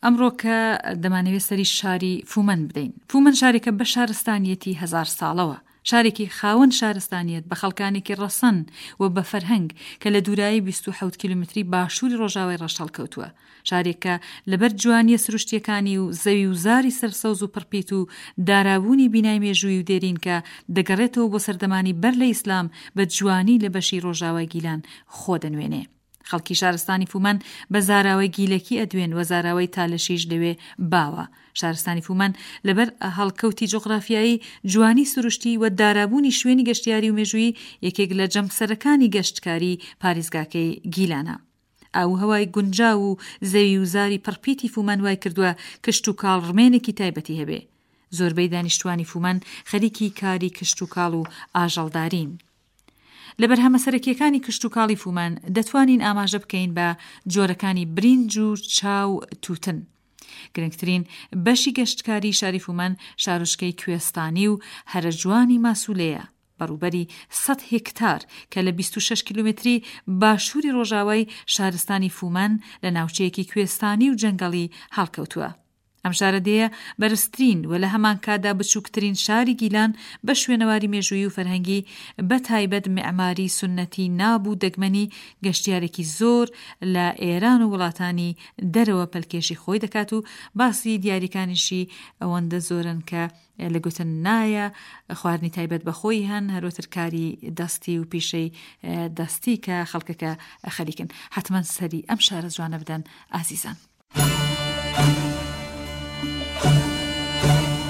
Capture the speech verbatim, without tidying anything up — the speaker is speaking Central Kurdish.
ئەمڕۆکە دەمانەوێت سەری شاری فومەن بدەین. فومەن شارێکە بە شارستانیەتی هەزار ساڵەوە، شارێکی خاوەن شارستانیەت بە خەڵکانێکی ڕەسەن و بە فەرهەنگ کە لە دوورایی بیست و حەوت کیلۆمەتری باشووری ڕۆژاوای ڕەشت هەڵکەوتووە. شارێک کە لەبەر جوانیە سروشتیەکانی و زەوی و زاری سەرسەوز و پڕپیت و دارابوونی بینای مێژووی و دێرین کە دەگەڕێتەوە بۆ سەردەمانی بەر لە ئیسلام بە جوانی لە بەشی ڕۆژاوای گیلان خۆ دەنوێنێ. خەڵکی شارستانی فومەن بە زاراوەی گیلەکی ئەدوێن و زاراوەی تالەشیش لەوێ باوە. شارستانی فومەن لەبەر هەڵکەوتی جوغرافیایی، جوانی سروشتی و دارابوونی شوێنی گەشتیاری و مێژوویی یەکێک لە جەمسەرەکانی گەشتکاری پارێزگاکەی گیلانە. ئاو و هەوای گونجاو و زەوی و زاری پڕپیتی فومەن وای کردووە کشت و کاڵ ڕمێنێکی تایبەتی هەبێ. زۆربەی دانیشتوانی فومەن خەریکی کاری کشت و کاڵ و ئاژەڵدارین. لە بەرهەمە سەرەکیەکانی کشتوکاڵی فومەن دەتوانین ئاماژە بکەین بە جۆرەکانی برینج و چا و تووتن. گرنگترین بەشی گەشتکاری شاری فومەن شارۆچکەی کوێستانی و هەرە جوانی ماسوولەیە بە ڕووبەری سەد هێکتار کە لە بیست و شەش کیلۆمەتری باشووری ڕۆژاوای شارستانی فومەن لە ناوچەیەکی کوێستانی و جەنگەڵی هەڵکەوتووە. ئەم شارەدێیە بەرزترین و لە هەمان کاتدا بچووکترین شاری گیلان بە شوێنەواری مێژوویی و فەرهەنگی بە تایبەت معماری سوننەتی ناب و دەگمەنی گەشتیارێکی زۆر لە ئێران و وڵاتانی دەرەوە پەلکێشی خۆی دەکات و باسی دیاریکانیشی ئەوەندە زۆرن کە لە گوتن نایە خواردنی تایبەت بە خۆی هەن هەروەتر کاری دەستی و پیشەی دەستی کە خەڵکەکە خەریکن حتمما سەری ئەم شارە جوانە بدەن ئازیزان.